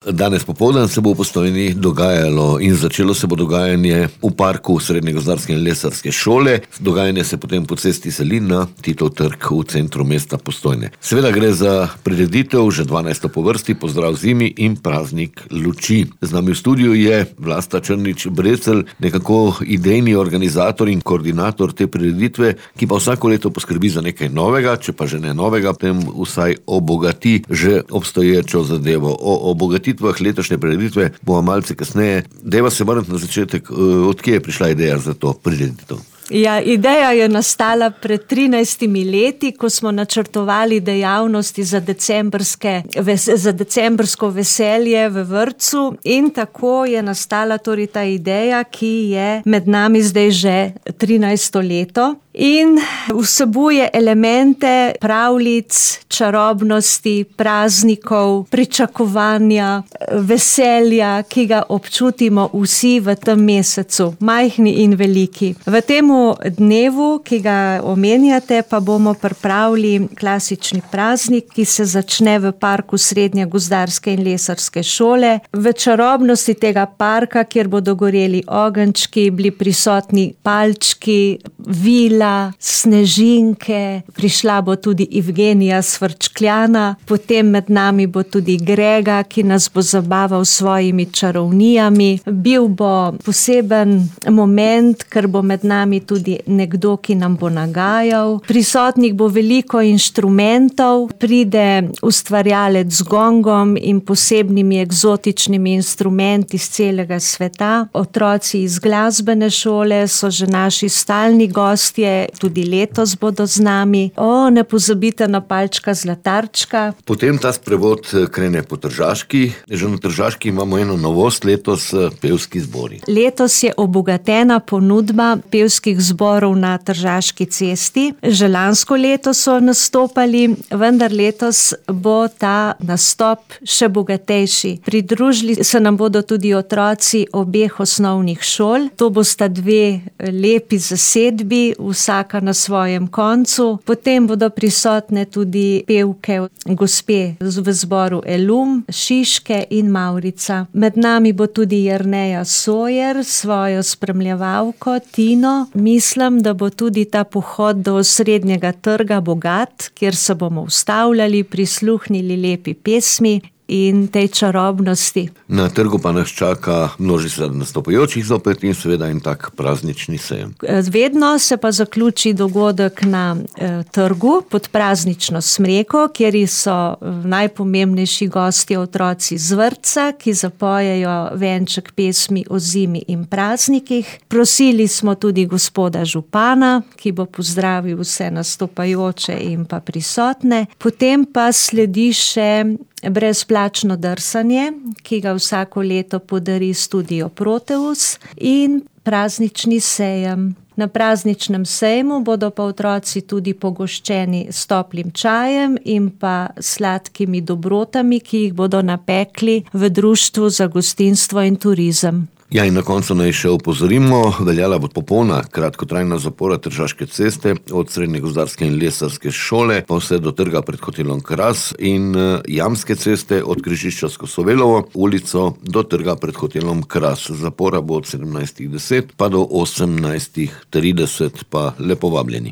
Danes popoldan se bo v Postojni dogajalo in začelo se bo dogajanje v parku Srednje gozdarske in lesarske šole. Dogajanje se potem po cesti seli na Titov trg v centru mesta Postojne. Seveda gre za prireditev, že 12. po vrsti, pozdrav zimi in praznik luči. Z nami v studiu je Vlasta Črnič-Brecelj, nekako idejni organizator in koordinator te prireditve, ki pa vsako leto poskrbi za nekaj novega, če pa že ne novega, potem vsaj obogati že obstoječo zadevo. O obogatitvah letošnje prireditve bomo malce kasneje. Deva se vrniti na začetek, od kje je prišla ideja za to prireditev? Ja, ideja je nastala pred 13 leti, ko smo načrtovali dejavnosti za decembrsko veselje v vrtcu, in tako je nastala torej ta ideja, ki je med nami zdaj že 13. leto. In vsebuje elemente pravljic, čarobnosti, praznikov, pričakovanja, veselja, ki ga občutimo vsi v tem mesecu, majhni in veliki. V temu dnevu, ki ga omenjate, pa bomo pripravili klasični praznik, ki se začne v parku Srednje gozdarske in lesarske šole. V čarobnosti tega parka, kjer bodo goreli ogenjčki, bili prisotni palčki, vila, snežinke, prišla bo tudi Evgenija Svrčkljana, potem med nami bo tudi Grega, ki nas bo zabaval s svojimi čarovnijami. Bil bo poseben moment, ker bo med nami tudi nekdo, ki nam bo nagajal. Prisotnih bo veliko inštrumentov, pride ustvarjalec z gongom in posebnimi eksotičnimi instrumenti iz celega sveta. Otroci iz glasbene šole so že naši stalni gostje, tudi letos bodo z nami. Ne pozabite na palčka zlatarčka. Potem ta sprevod krene po Tržaški. Že na Tržaški imamo eno novost letos, pevski zbori. Letos je obogatena ponudba pevskih zborov na Tržaški cesti. Že lansko leto so nastopali, vendar letos bo ta nastop še bogatejši. Pridružili se nam bodo tudi otroci obeh osnovnih šol. To bosta dve lepi zasedbi, vsaka na svojem koncu. Potem bodo prisotne tudi pevke gospe v zboru Elum, Šiške in Mavrica. Med nami bo tudi Jerneja Sojer s svojo spremljevalko Tino. Mislim, da bo tudi ta pohod do Srednjega trga bogat, kjer se bomo ustavljali, prisluhnili lepi pesmi in tej čarobnosti. Na trgu pa nas čaka množica nastopajočih zopet in seveda en tak praznični sejem. Vedno se pa zaključi dogodek na trgu pod praznično smreko, kjer so najpomembnejši gostje otroci z vrtca, ki zapojejo venček pesmi o zimi in praznikih. Prosili smo tudi gospoda župana, ki bo pozdravil vse nastopajoče in pa prisotne. Potem pa sledi še brezplačno drsanje, ki ga vsako leto podari Studio Proteus, in praznični sejem. Na prazničnem sejmu bodo pa otroci tudi pogoščeni s toplim čajem in pa sladkimi dobrotami, ki jih bodo napekli v Društvu za gostinstvo in turizem. Ja, in na koncu naj še opozorimo, veljala bo popolna kratkotrajna zapora Tržaške ceste od Srednje gozdarske in lesarske šole pa vse do trga pred hotelom Kras in Jamske ceste od križišča s Kosovelovo ulico do trga pred hotelom Kras. Zapora bo od 17:10 pa do 18:30, pa lepo vabljeni.